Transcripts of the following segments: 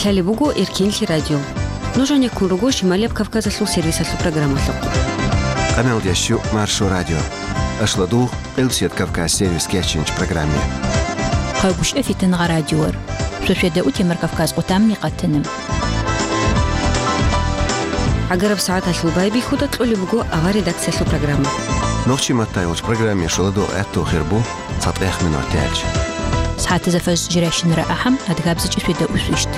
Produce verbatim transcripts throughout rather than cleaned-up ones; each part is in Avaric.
Гьале буго Эркенлъи радио. Нуж гьанеккун руго Шималияб Кавказалъул сервисалъул программалъухъ. Къамел ящу Маршо радио. Ашладугъ, Къилбсият Кавказ сервис кечинч программе. Къайгъушев Фитангъа радиор. Шошеда утемар Кавказ къутамни къатана. Агараб сагӀаталъул байбихьуда кьолеб буго авар редакциялъул программа. Нохчи маттайолч программе шоладо гӀатту хирбу. ЦатӀех минут тяч. СагӀатазда фаж жирайщинара ахӀам, адгабзичӀи сведа усвищт.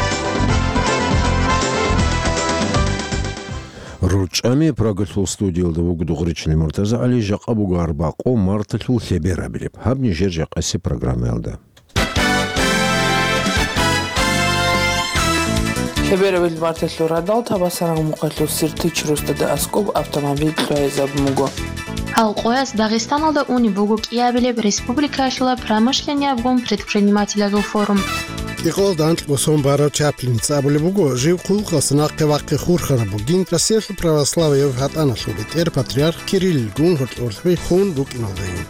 РучӀами Прагалъул студиялда вуго Дугъричилин МуртазагӀали, жакъа буго арбакъо марталъул лъеберабилеб. Гьаб нижер жакъасеб программаялда. Лъеберабил марталъул радал Табасаран мухъалъул Сиртич рустада аскӀоб автомобиль кьвайзабун буго. Гьал къояс Дагъистаналда унеб буго кӀиабилеб республикаялъула промышленниябгун предпринимателазул форум. КӀикъоялда анкьго сон барав Чаплиница абулеб буго, жив хъулухъалъ нахъе вахъи хурхараб бугин, Россиялъул православияб гьатӀаналъул бетӀер патриарх Кириллгун гьоркьорлъи хун рукӀиналдайин.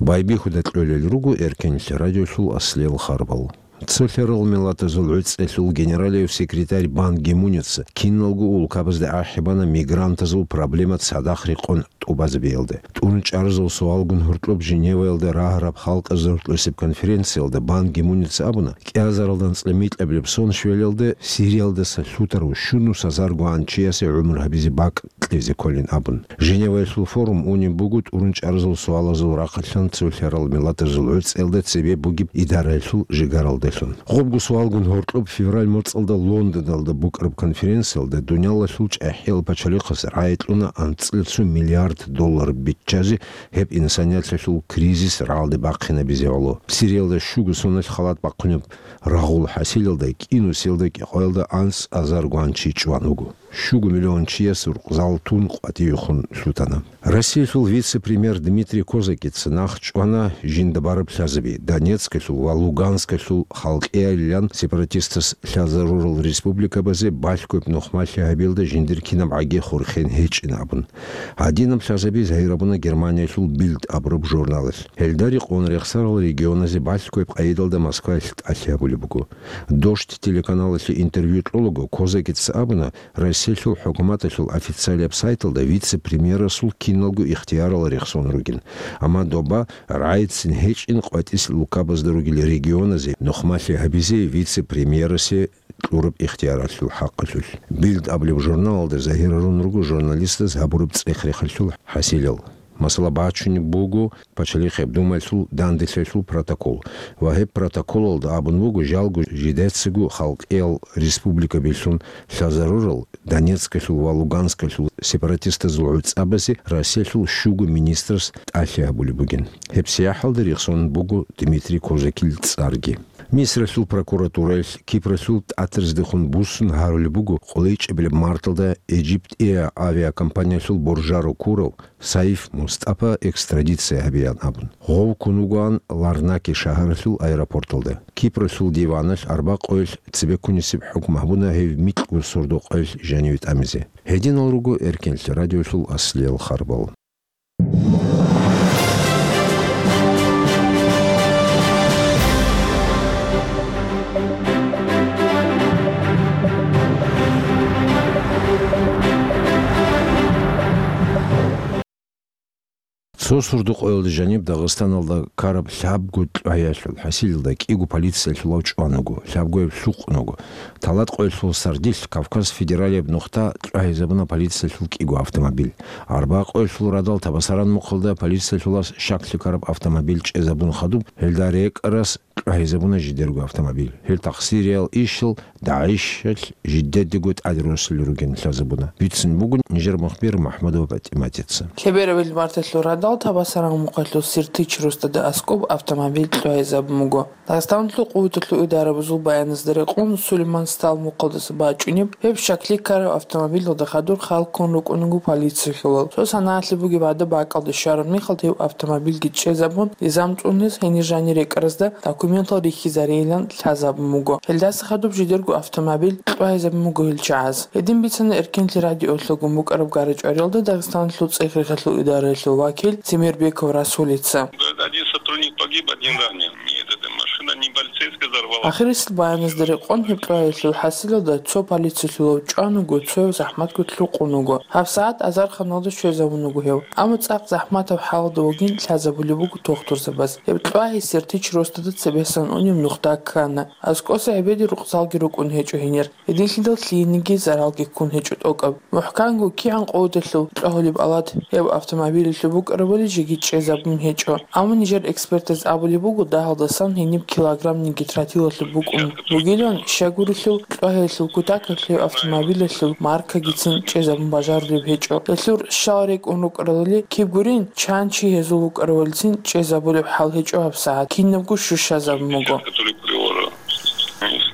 Байбихьуда кьолел руго Эркенлъи радиолъул аслиял харбал. Цо лъарал миллатазул гӀуцӀелъул генералияб секретарь Бан Ги Муница киналго улкабазда ахӀи бана мигрантазул проблема цадахъ рекъон тӀубазабиялда. ТӀурун чӀарзул суалгун гьоркьоб Женеваялда рагьараб халкъазда гьоркьосеб конференциялда Бан Ги Муница абуна, кӀиазаралда анцӀила микьабилеб сон щвелалда Сириялдаса лъутарав щунус азарго гӀанчиясе гӀумру гьабизе бакӀ кьезе кколин абун. Женеваялъул форум унеб буго тӀурун чӀарзул суалазул рахъалъан цо лъарал миллатазул гӀуцӀелда цебе бугеб идараялъул жигаралдалъун. Гъобго суалгун гьоркьоб февраль моцӀалда Лондоналда букӀараб конференциялда дуниялалъул чӀахӀиял пачалихъас рагӀи кьуна анцӀила цо миллиард доллар биччазе гьеб инсанияталъул кризис рагӀалде бахъинабизе гӀоло. Сириялда щуго соналъ халат бахъунеб рагъул хӀасилалда кӀинусиялда кӀикъоялда анцӀазарго гӀанчи чӀван вуго. Щуго миллион чияс рукъзал тун къватӀивехун лъутана. Россиялъул вице-премьер Дмитрий Козакица нахъ чӀвана жинда бараб лъазаби, Донецкалъул ва Луганскалъул халкъиялилан сепаратистас лъазарурал республикабазе балъгояб нухмалъи гьабиялда жиндир кинаб гӀаги хурхен гьечӀин абун. Гьадинаб лъазаби загьир абуна Германиялъул Бильд абураб журналалъ. Гьелда рекъон рехсарал регионазе балъгояб къайдалда Москваялъ тӀалъи гьабулеб буго. Дождь телеканалалъе интервью кьолаго Козакица абуна, Россиялъул хӀукуматалъул официалияб сайталда вице-премьерасул киналго ихтиярал рехсон ругин, амма доба рагӀицин гьечӀин къватӀис лукабазда ругел регионазе нухмалъи гьабизе вице-премьерасе кьураб ихтияралъул хӀакъалъулъ. Бильд абулеб журналалда загьирарун руго журналистаз гьабураб цӀех-рехалъул хӀасилал. Масала, бачунеб буго Пачалихъеб Думаялъул данделъиялъул протокол ва гьеб протоколалда абун буго, жалго жидецаго халкъиял республикабилъун лъазарурал Донецкалъул ва Луганскалъул сепаратистазул гӀуцӀабазе Россиялъул щуго министрас тӀалъи гьабулеб бугин. Гьеб сияхӀалда рехсон буго Дмитрий Козакил цӀарги. Мисралъул прокуратураялъ Кипралъул тӀатариздехун буссун гьарулеб буго къулайчӀебилеб марталда Egypt Air авиакомпаниялъул боржаро ккурав Саиф Мустапа экстрадиция гьабеян абун. Гъов ккун вугоан Ларнаки шагьаралъул аэропорталда. Кипралъул диваналъ арбакъоялъ цебеккунисеб хӀукму гьабуна гьев микьго сордо-къоялъ жаниве тӀамизе. Гьединал руго Эркенлъи радиолъул аслиял харбал. Цо сордо-къоялда жаниб Дагъистаналда ккараб лъабго кьвагӀиялъул хӀасилалда кӀиго полициялъулав чӀван вуго, лъабгояб лъукъун вуго. Талат къоялъул сардилъ Кавказ федералияб нухда кьвагӀизабуна полициялъул кӀиго автомобиль. Арба къоялъул радал Табасаран мухъалда полициялъулас щаклъи ккараб автомобиль чӀезабун хадуб, гьелда рекӀарас кьвагӀизабуна жидерго автомобиль. Гьел тахсириял ишал ДАИШалъ жидедаго тӀадруссине ругин лъазабуна. Бицун бугин нижер мухбир МахӀмудова ПатӀиматица. Лъеберабил марталъул радал Табасаран мухъалъул Сиртич рустада аскӀоб автомобиль кьвагӀизабун буго. Дагъистаналъул къуваталъул идарабазул баяназда рекъон, Сулейман Стал мухъалдаса бачӀунеб гьеб щаклъи ккараб автомобилалда хадур хал ккун рукӀун вуго полициялъулал. Цо санагӀалъи бугеб гӀадаб бакӀалде щвараб мехалда гьев автомобильги чӀезабун, низам цӀунез гьенир жанир рекӀаразда документал рихьизарейилан лъазабун буго. Гьелдаса хадуб жидерго автомобиль кьвагӀизабун буго гьел чагӀаз. Гьедин бицана Эркенлъи радиолъагун букӀараб гара-чӀвариялда Дагъистаналъул цӀех-рехалъул идараялъул вакил Темирбеков Расулица. Один сотрудник погиб, один ранен. И эта машина не полицейская. Ахирисел баяназда рекъон гьеб кьвагьиялъул хӀасилалда цо полициялъулав чӀван вуго, цояв захӀматго лъукъун вуго. ГьабсагӀат азарханалда щвезабун вуго гьев. Амма цӀакъ захӀматаб хӀалалда вугин лъазабулеб буго тухтурзабаз. Гьеб кьвагьи Сертич росдада цебесан унеб нухда ккана. АскӀоса гӀебеде рукъзалги рукӀун гьечӀо гьенир. Гьединлъидал лъиениги заралги ккун гьечӀо тӀокӀаб. МухӀканго кигӀан къоялъул кьвагьулеб алат гьеб автомобилалъул букӀарабали жеги чӀезабун гьечӀо. Амма нижер экспертаз абулеб буго, дагьалдасан гьениб килограммниги тротилалъул букӀун бугилан, щай гурелъул кьвагьиялъул кутакалъ гьеб автомобилалъул маркагицин чӀезабун бажарулеб гьечӀо. Гьелъул щал рекӀун рукӀаралали киб гурин, чан чи гьезул вукӀарабалицин чӀезабулеб хӀал гьечӀо гьабсагӀат, кинабго щущазабун буго.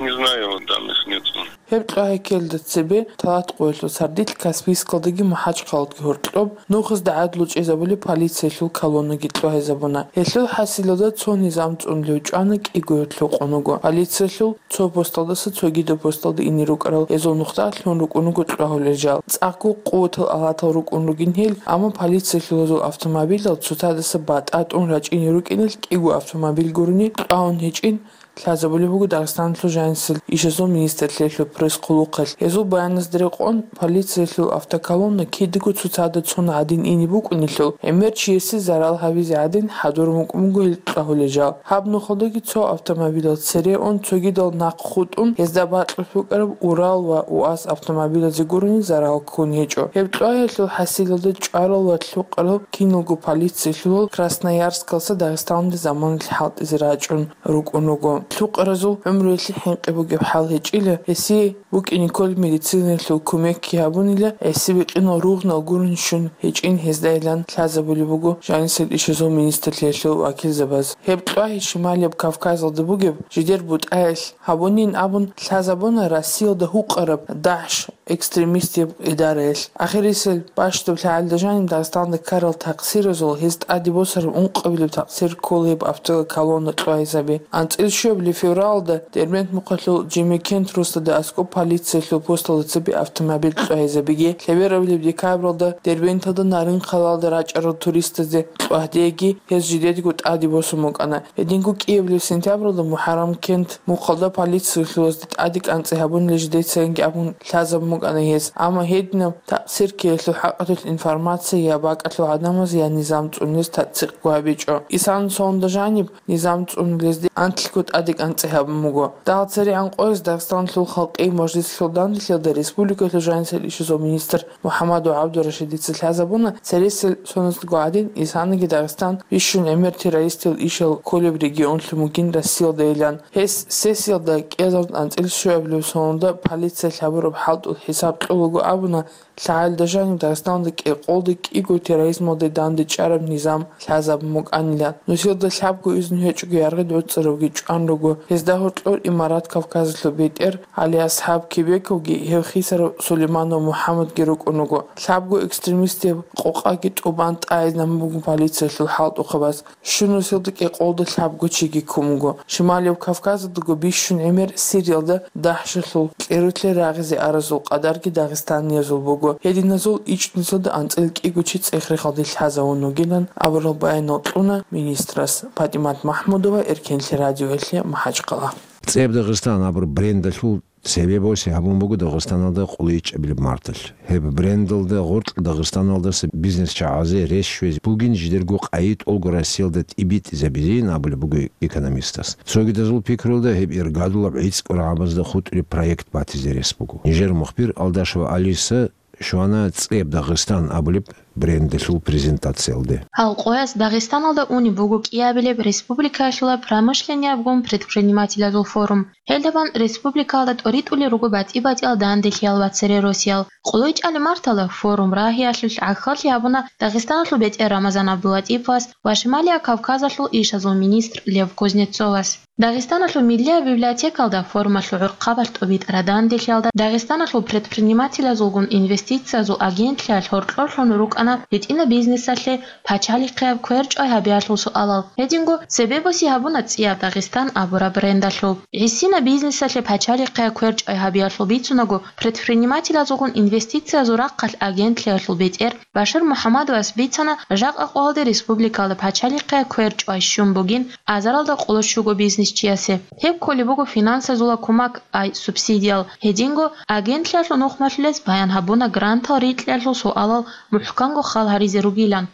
Не знаю, данных нету. Гьеб кьвагьикелда цебе талат къоялъул сардилъ Каспийскалдаги МахӀачхъаладги гьоркьоб нухазда гӀадлу чӀезабулеб полициялъул колоннаги кьвагьизабуна. Гьелъул хӀасилалда цо низам цӀунулев чӀвана кӀиго лъукъун вуго. Полициялъул цо посталдаса цогидаб посталда ине рукӀарал гьезул нухда лъун рукӀун руго кьвагьулел жал. ЦӀакъго къуватал алатал рукӀун ругин гьел, амма полициялъул гьезул автомобилал цоцадаса батӀа тӀун рачӀине рукӀиналъ кӀиго автомобиль гурони кьвагьун гьечӀин, лъазабулеб буго Дагъистаналъул жанисел ишазул министрлъиялъул пресс-хъулухъалъ. Гьезул баяназда рекъон, полициялъул автоколонна кидаго цоцазда цун гӀадин ине букӀунелъул, гӀемер чиясе зарал гьабизе гӀадин хӀадурун букӀун буго гьел кьвагьулел жал. Гьаб нухалдаги цо автомобилал цере ун, цогидал нахъ хутӀун, гьезда бакьулъ букӀараб Урал ва УАЗ автомобилазе гурони зарал ккун гьечӀо. Гьеб кьвагьиялъул хӀасилалда чӀварал ва лъукъарал киналго полициялъулал Красноярскалъа Дагъистаналде заманалъ хӀалтӀизе рачӀун рукӀун руго. Лъукъаразул гӀумруялъе хӀинкъи бугеб хӀал гьечӀила, гьесие букӀине кколеб медицинаялъул кумекги гьабунила, гӀиси-бикъинал ругънал гурони щун гьечӀин гьездайилан лъазабулеб буго жанисел ишазул министрлъиялъул вакилзабаз. Гьеб кьвагьи Шималияб Кавказалда бугеб жидер бутӀаялъ гьабунин абун лъазабуна Россиялда гьукъараб ДАГӀШ экстремистияб идараялъ. Ахирисел бащдаб лъагӀалда жаниб Дагъистанда ккарал такъсиразул гьез тӀаде босараб ункъабилеб такъсир ккола гьеб автоколонна кьвагьизаби. АнцӀила щуабилеб февралалда Дербент мухъалъул Жемекент росдада аскӀоб полициялъул посталда цебе автомобиль кьвагьизабиги, лъеберабилеб декабралда Дербенталда Нарын-Хъалалда рачӀарал туристазде кьвагьдеги гьез жидедго тӀаде босун букӀана. Гьединго кӀиабилеб сентябралда МухӀаррамкент мухъалда полициялъулазде тӀаде кӀанцӀи гьабунила жидецаянги абун лъазабун букӀана гьез. Амма гьединаб такъсир ккеялъул хӀакъалъулъ информация я бакӀалъул гӀадамаз, я низам цӀунулез тасдикъго гьабичӀо. Исана сонда жаниб низам цӀунулезде анлъго тӀаде кӀанцӀи гьабун буго. Дагьал церегӀан къоялъ Дагъистаналъул халкъи мажлислъул данделъиялда республикалъул жанисел ишазул министр МухӀаммадов ГӀабдурашидица лъазабуна, цересел соналъго гӀадин, Исанаги Дагъистан бищун гӀемер террористиял ишал кколеб регионлъун бугин Россиялдайилан. Гьес сессиялда кӀиазарун анцӀила щуабилеб соналда полициялъ гьабураб хӀалтӀул хӀисаб кьолаго абуна, лъагӀалда жаниб Дагъистаналда кӀикъолда кӀиго терроризмалде дандечӀараб низам лъазабун букӀанилан. Нусилда лъабго изну гьечӀого яргъи доцӀцӀаравги чӀван руго. Гьезда гьоркьор Имарат Кавказалъул бетӀер ГӀали-АсхӀаб Кебековги гьев хисарав Сулейманов МухӀаммадги рукӀун руго. Лъабго экстремистияб къокъаги тӀубан тӀагӀизе намун буго полициялъул хӀалтӀухъабаз. Щун нусилда кӀикъолда лъабго чиги ккун буго. Шималияб Кавказалдаго бищун гӀемер Сириялда ДАГӀШалъул кьерулъе рагъизе аразул къадарги дагъистаниязул буго. Гьединазул ичӀнусилда анцӀила кӀиго чи цӀех-рехалде лъазавун вугилан абурал баянал кьуна министрас. ПатӀимат МахӀмудова, Эркенлъи радиоялъе, МахӀачхъала. ЦӀеб Дагъистан абураб брендалъул цебе босе гьабун буго Дагъистаналда къулайчӀабилеб марталъ. Гьеб брендалда гъоркь Дагъистаналдаса бизнес-чагӀазе рес щвезе бугин жидерго къайи тӀолго Россиялда тӀибитӀизабизейин абулеб буго экономистас. Цогидазул пикрулда, гьеб иргадулаб гӀицӀго рагӀабазда хутӀулеб проект батизе рес буго. Нижер мухбир Алдашева Алиса щвана ЦӀеб Дагъистан абулеб брендалъул презентациялде. Гьал къояс Дагъистаналда унеб буго кӀиабилеб республикаялъула промышленниябгун предпринимателазул форум. Гьелдабан республикаялда тӀоритӀулел руго батӀи-батӀиял данделъиял ва цере росиял. КъулайчӀалеб мартала форум рагьиялъулъ гӀахьаллъи гьабуна Дагъистаналъул бетӀер Рамазан ГӀабдуллатӀиповас ва Шималияб Кавказалъул ишазул министр Лев Кузнецовас. Дагъистаналъул миллияб библиотекалда форумалъул гӀурхъабазул тӀубитӀараб данделъиялда Дагъистаналъул предпринимателазулгун инвестициязул агентлъиялъ гьоркьорлъун рукӀа букӀана гьитӀинаб бизнесалъе пачалихъияб квер чӀвай гьабиялъул суалал. Гьединго цебе боси гьабуна ЦӀияб Дагъистан абураб брендалъул. ГӀисина бизнесалъе пачалихъияб квер чӀвай гьабиялъул бицунаго, предпринимателазулгун инвестициязул рахъалъ агентлъиялъул бетӀер Башир МухӀаммадовас бицана, жакъа къоялде республикалда пачалихъияб квер чӀвай щун бугин азаралда къоло щуго бизнесчиясе. Гьеб кколеб буго финансазула кумак, ай субсидиял. Гьединго агентлъиялъул нухмалъулез баян гьабуна грантал рикьиялъул суалал мухӀканго хал гьаризе ругилан.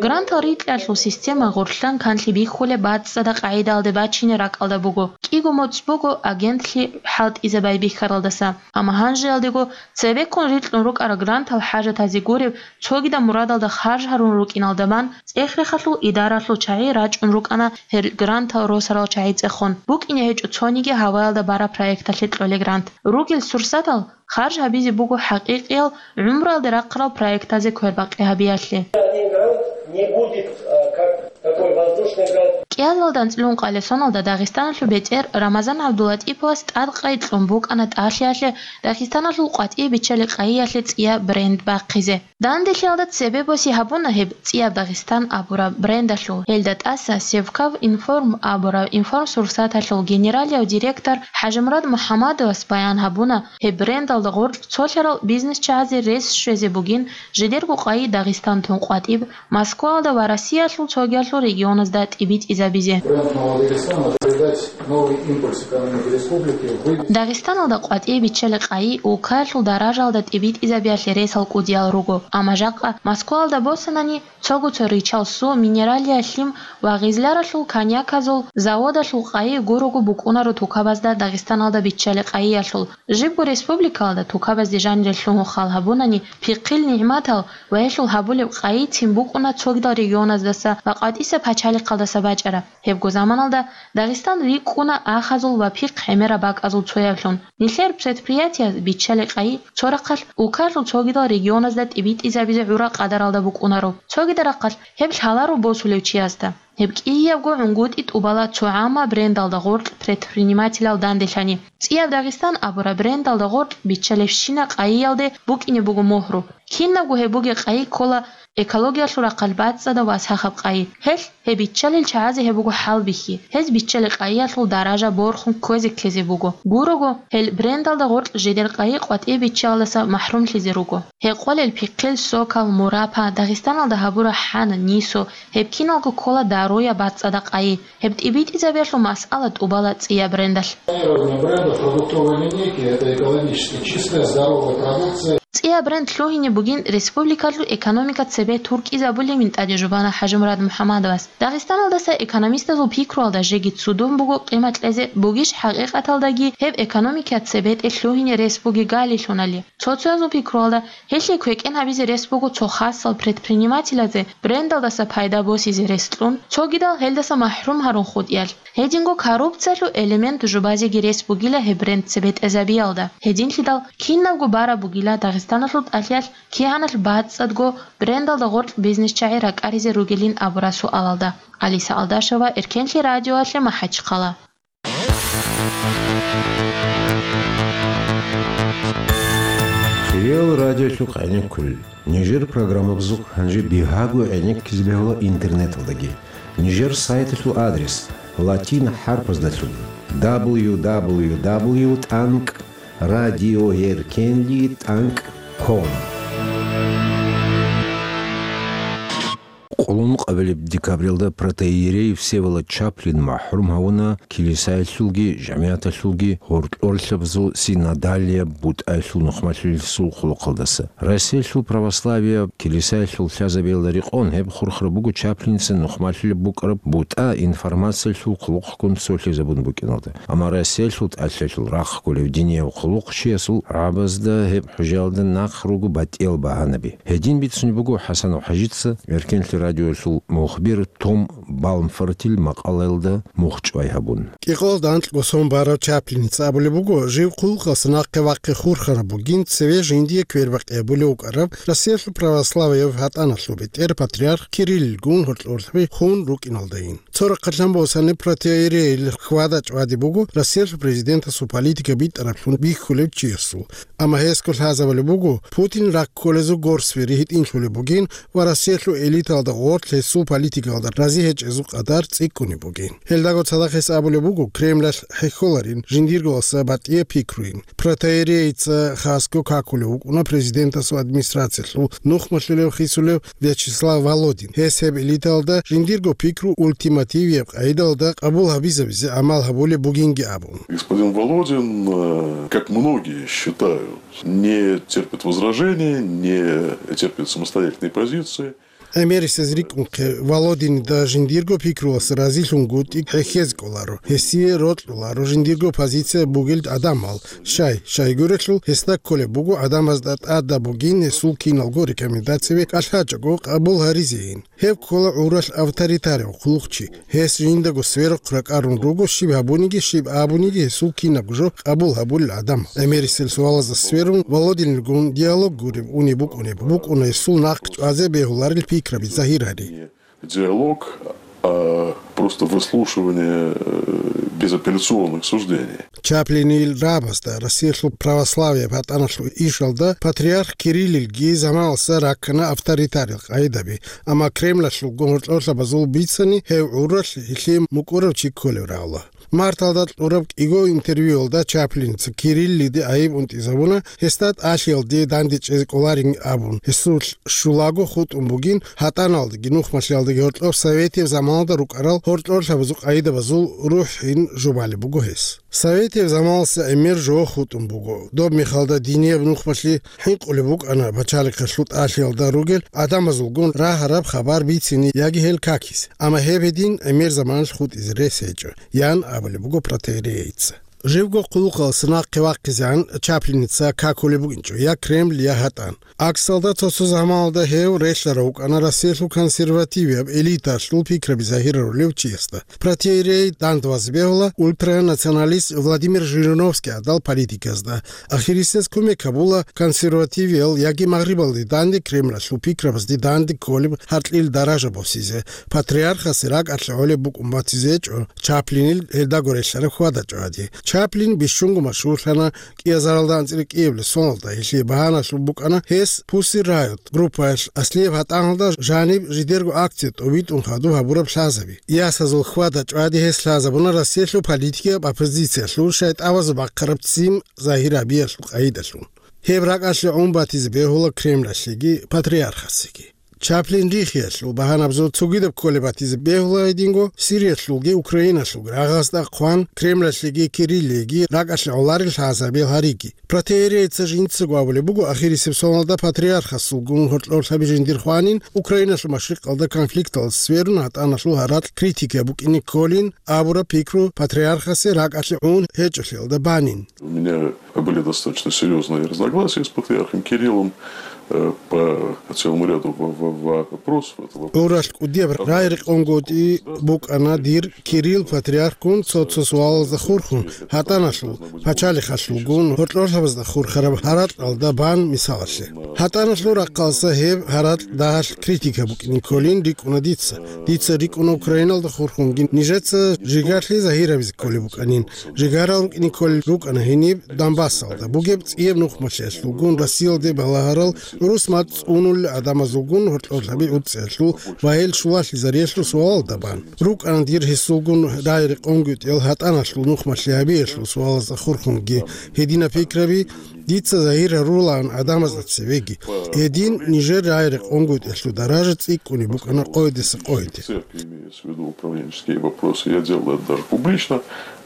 Грантал рикьиялъул система гъорлъан канлъи бихьулеб бацӀцӀадаб къагӀидаялде бачине ракӀалда буго. КӀиго моцӀ буго агентлъи хӀалтӀизе байбихьаралдаса. Амма гьанжеялдего цебеккун рикьун рукӀарал грантал хӀажатазе гуреб цогидаб мурадалда харж гьарун рукӀиналда бан, ЦӀехрехалъул идаралъул чагӀи рачӀун рукӀана гьел грантал росарал чагӀи цӀехун. БукӀине гьечӀо цониги гьаваялда бараб проекталъе кьолеб грант. Ругел сурсатал харж гьабизе буго хӀакъикъиял гӀумруялде рахъарал проектазе квербакъи гьабиялъе. Один грант не будет, а, как такой воздушный грант. КӀиазалда анцӀлъун къалесоналда Дагъистаналъул бетӀер Рамазан ГӀабдулатӀиповас тӀад къайи кьун букӀана тӀалъиялъе Дагъистаналъул къватӀибе биччалеб къайиялъе цӀияб бренд бахъизе. Данделъиялда цебе боси гьабуна гьеб ЦӀияб Дагъистан абураб брендалъул. Гьелда тӀаса Севкав Информ абураб информсурсаталъул генералияв директор ХӀажимурад МухӀаммадовас баян гьабуна, гьеб брендалда гъоркь цолъарал бизнесчагӀазе рес щвезе бугин, жидерго къайи Дагъистан тун къватӀиб Москваялда ва Россиялъул цогиялъул регионазда тӀибитӀизабизе. Бренд Нового Дагестана придать новый импульс экономике республики, вывести Дагъистаналда къватӀибе биччалеб къайи улкаялъул даражаялда тӀибитӀизабиялъе ресал кӀудиял руго, амма жакъа Москваялда босанани, цого-цо ричал су, минералияб лъим ва гъизларалъул коньяказул заводалъул къайи гурого букӀунаро тукабазда Дагъистаналда биччалеб къайиялъул. Жибго республикаялда тукабазде жанире лъугьун хал гьабунани, пихъил нигӀматал ва гьелъул гьабулеб къайи цин букӀуна цогидал регионаздаса ва къватӀиса пачалихъалдаса бачӀараб. Гьебго заманалда Дагъистан рикӀкӀуна ахазул ва пихъ гӀемераб бакӀазул цояблъун. Нилъер предприятияз биччалеб къайи цо рахъалъ улкалъул цогидал регионазда тӀибитӀизабизе гӀурал къадаралда букӀунаро, цогидал рахъалъ гьеб лъаларо босулев чиясда. Гьеб кӀиябго гӀунгутӀи тӀубала цо гӀамма брендалда гъоркь предпринимателал данделъани. ЦӀияб Дагъистан абураб брендалда гъоркь биччалебщина къайиялде букӀине буго мухӀру. Кинабго гьеб бугеб къайи ккола экологиялъул рахъалъ бацӀцӀадаб ва сахаб къайи. Гьелъ гьеб биччалел чагӀазе гьеб буго хӀалбихьи. Гьез биччалеб къайиялъул даража борхун кквезе ккезе буго. Гурого, гьел брендалда гъоркь жидер къайи къватӀибе биччалдаса махӀрумлъизе руго. Гьекъолел пихъил сокал, мурапа, Дагъистаналда гьабураб хӀана, нисо, гьеб киналго ккола даруяб бацӀцӀадаб къайи. Гьеб тӀибитӀизабиялъул масъала тӀубала цӀияб брендалъ. Бренда продуктовой линейки — это экологически чистая, здоровая продукция. ЦӀияб бренд лъугьине бугин республикалъул экономика цебе туркӀизабулебин тӀаде жубана ХӀажимурад МухӀаммадовас. Дагъистаналдаса экономистазул пикруялда жеги цудун буго къимат кьезе бугищ хӀакъикъаталдаги гьеб экономика цебетӀе лъугьине рес бугеб галилъунали. Цо-цоязул пикруялда гьелъие квекӀен гьабизе рес буго цо хасал предпринимателазе брендалдаса пайда босизе рес кьун, цогидал гьелдаса махӀрум гьарун хутӀиялъ. Гьединго коррупциялъул элемент жубазеги рес бугила гьеб бренд цебетӀезабиялда. Гьединлъидал кинабго бараб бугила Дагъистаналъул тӀалъиялъ кигӀаналъ бацӀцӀадго брендалда гъоркь бизнесчагӀи ракӀаризе ругелин абураб суалалда. Алиса Алдашева, Эркенлъи радиоялъе, МахӀачхъала. Хириял радиолъухъ гӀенеккулел. Нижер программабазухъ гьанже бигьаго гӀенеккизе бегьула интернеталдаги. Нижер сайталъул адрес латин хӀарпаздалъун: дабл ю дабл ю дабл ю тӀанкӀ радиоэркенли тӀанкӀ ком. Къоло нукъабилеб декабралда протоиерей Всеволод Чаплин махӀрум гьавуна килисаялъулги жамигӀаталъулги гьоркьорлъабазул синодалияб бутӀаялъул нухмалъулесул хъулухъалдаса. Россиялъул православияб килисаялъул лъазабиялда рекъон гьеб хурхараб буго Чаплинца нухмалъулеб букӀараб бутӀа информациялъул хъулухъгун цолъизабун букӀиналда. Амма Россиялъул тӀалъиялъул рахъ кколев динияб хъулухъчиясул гӀабазда гьеб хӀужаялда нахъ руго батӀиял багьанаби. Гьедин бицунеб буго ХӀасанов ХӀажица Эркенлъи радиоялъул мухбир Том Балмфортил макъалаялда мухь чӀвай гьабун. КӀикъоялда анкьго сон барав Чаплиница абулеб буго, жив хъулухъалъ нахъе вахъи хурхараб бугин, цеве жиндие квербакъи гьабулев вукӀараб Россиялъул православияб ВатӀаналъул бетӀер патриарх Кириллгун гьоркьорлъаби хун рукӀиналдайин. Цо рахъалъан босани протоиерейил хьвада-чӀвади буго Россиялъул президентасул политика битӀараблъун бихьулев чиясул. Амма гьесго лъазабулеб буго Путин ракколезул горсвери гьитӀинлъулеб бугин ва Россиялъул элиталда гъорлъ гьесул политикалда рази гьечӀезул къадар цӀикӀкӀунеб бугин. Гьелдаго цадахъ гьес абулеб буго Кремлалъ хӀехьоларин жиндирго батӀияб пикруйин. Протоиерейица хасго какулев вукӀуна президентасул администрациялъул нухмалъулев хисулев Вячеслав Володин. Гьес гьеб элиталда жиндирго пикру ультимативияб къайдалда къабул гьабизабизе гӀамал гьабулеб бугинги абун. Господин Володин, э, как многие считают, не терпит возражений, не терпит самостоятельной позиции. ГӀемерисез рикӀкӀунхъе, Володинда жиндирго пикруялъ разилъунгутӀи хӀехьезе кӀоларо, гьесие рокьуларо жиндирго позиция бугел гӀадамал. Щай, щайгурелъул гьесда кколеб буго гӀадамазда тӀадаб бугин гьесул киналго рекомендацияби кӀалъачӀого къабул гьаризейин. Гьеб ккола гӀуралъ авторитарев хъулухъчи. Гьес жиндаго сверухъ ракӀарун руго, щиб гьабуниги, щиб абуниги гьесул кинабго жо къабул гьабулел гӀадамал. ГӀемерисел суалазда сверун, Володинилгун диалог гуреб унеб букӀунеб, букӀуна гьесул нахъ чӀвазе бегьуларел пикраби загьир гьари. Диалог, а просто выслушивание, э, безапелляционных суждений. Чаплинил рагӀабазда Россиялъул православие батӀаналъул ишалда патриарх Кириллилги заманалса раккана авторитарил къайдаби, амма Кремлалъулгун гьоркьорлъабазул бицани гьев гӀуралъ гьелъие мукӀурав чи кколев рагӀула. Марталда кьураб кӀиго интервьюялда Чаплинца Кириллиде гӀайиб унтӀизабуна, гьесда тӀалъиялде дандечӀезе кӀоларин абун, гьесул щулаго хутӀун бугин, гьатӀаналдаги нухмалъиялдаги гьоркьоб советияб заманалда рукӀарал гьоркьорлъабазул къайдабазул рухӀин жубалеб буго гьес. Советияб заманалса гӀемер жо хутӀун буго. Доб мехалда динияб нухмалъи хӀинкъулеб букӀана пачалихъалъул тӀалъиялда ругел гӀадамазулгун рагьараб хабар бицине яги гьел какизе. Амма гьеб гьедин гӀемер заманалъ хутӀизе рес гьечӀо, ян абулеб буго протоиерейица. Живго хъулухъалъ нахъе вахъизегӀан Чаплиница какулеб букӀинчӀо я Кремль, я гьатӀан. АкӀсалда цо-цо заманалда гьев релълъарав вукӀана Россиялъул консервативияб элиталъул пикраби загьирарулев чиясда. Протоиерей дандвазе бегьула ультранационалист Владимир Жириновский гӀадал политиказда. Ахирисез кумек гьабула консервативиял яги Магърибалде данде Кремлалъул пикрабазде данде кколеб гьаркьил даража босизе, патриархасе ракӀалъе гӀолеб букӀун батизечӀо Чаплинил гьелдаго релълъараб хьвада-чӀвади. Чаплин бищунго машгьурлъана, кӀиазаралда анцӀила кӀиабилеб соналда гьелъие багьаналъул букӀана гьес Pussy Riot группаялъ аслияб гьатӀаналда жаниб жидерго акция тӀобитӀун хадуб гьабураб лъазаби. Ясазул хьвада-чӀвади гьес лъазабуна Россиялъул политикияб оппозициялъул шайтӀабазул бахъараб ццин загьир гьабиялъул къайдалъун. Гьеб ракӀалъе гӀун батизе бегьула Кремлалъеги патриархасеги. Чаплин рихиялъул багьанабазул цогидаб кколеб батизе бегьула гьединго Сириялъулги Украиналъулги рагъазда хъван, Кремлалъеги Кириллиеги ракӀалъе гӀоларел лъазабил гьариги. Протоиерейица жинцаго абулеб буго, ахирисеб соналда патриархасулгун гьоркьорлъаби жиндир хванин, Украиналъул машрикъалда конфликталъ сверун гьатӀаналъул гьаракь критика букӀине кколин абураб пикру патриархасе ракӀалъе гӀун гьечӀолъиялда банин. У меня были достаточно серьёзные разногласия с патриархом Кириллом, э, по целому ряду во-, во-, вопросов. Это вопрос. ГӀуралъ кӀудияб рагӀи-рекъонгутӀи букӀана дир Кирилл патриархгун цо-цо суалазда хурхун, гьатӀаналъул, пачалихъалъулгун, гьоркьорлъабазда хурхараб гьаракьалда бан мисалалъе. ГьатӀаналъул рахъалъа гьеб гьаракь дагьалъ критика букӀине кколин рикӀкӀуна дица. Дица рикӀкӀуна Украиналда хурхунги нижеца жигарлъи загьир гьабизе кколеб букӀанин. Жигарал рукӀине кколел рукӀана гьениб Донбассалда бугеб цӀияб нухмалъиялъулгун, Россиялде балагьарал гӀурус мацӀ цӀунулел гӀадамазулгун гьоркьорлъаби гӀуцӀиялъул ва гьел щулалъизариялъул суалалда бан. РукӀана дир гьесулгун рагӀи-рекъонгутӀиял гьатӀаналъул нухмалъи гьабиялъул суалазда хурхунги гьединаб пикраби дица загьир гьарулаан гӀадамазда цевеги. Гьедин нижер рагӀи-рекъонгутӀиялъул даража цӀикӀкӀунеб букӀана къойдаса къойде. Церкви имеется в виду управленческие вопросы. Я делал это даже публично.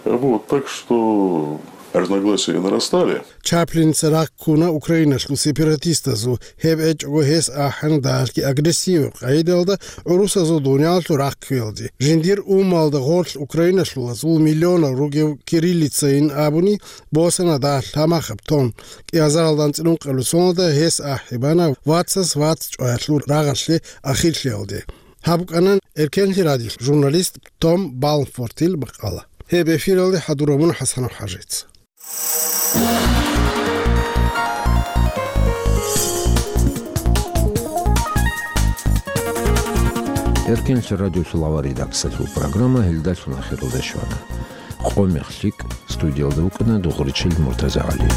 Вот, так что разногласия нарастали. Чаплинца рахъ ккуна Украиналъул сепаратистазул, гьеб гьечӀого гьес ахӀана дагьалъги агрессияб къайдалда гӀурусазул дуниялалъул рахъ кквеялде. Жиндир уммалда гъорлъ украиналъулазул миллионал ругев кириллицайин абуни босана дагьалъ гьамахаб тон. КӀиазаралда анцӀила ункъабилеб соналда гьес ахӀи бана вацас вац чӀваялъул рагъалъе ахирлъиялде. Гьаб букӀана Эркенлъи радиолъ журналист Том Балмфортил макъала. Гьеб эфиралде хӀадураб мун ХӀасанов ХӀажица. Эркенлъ радиолъул авар редакциялъул программа гьелдалъун ахиралде щвана. Къо-мех лъикӀ, студиялда вукӀана Дугъричил Муртазагьали.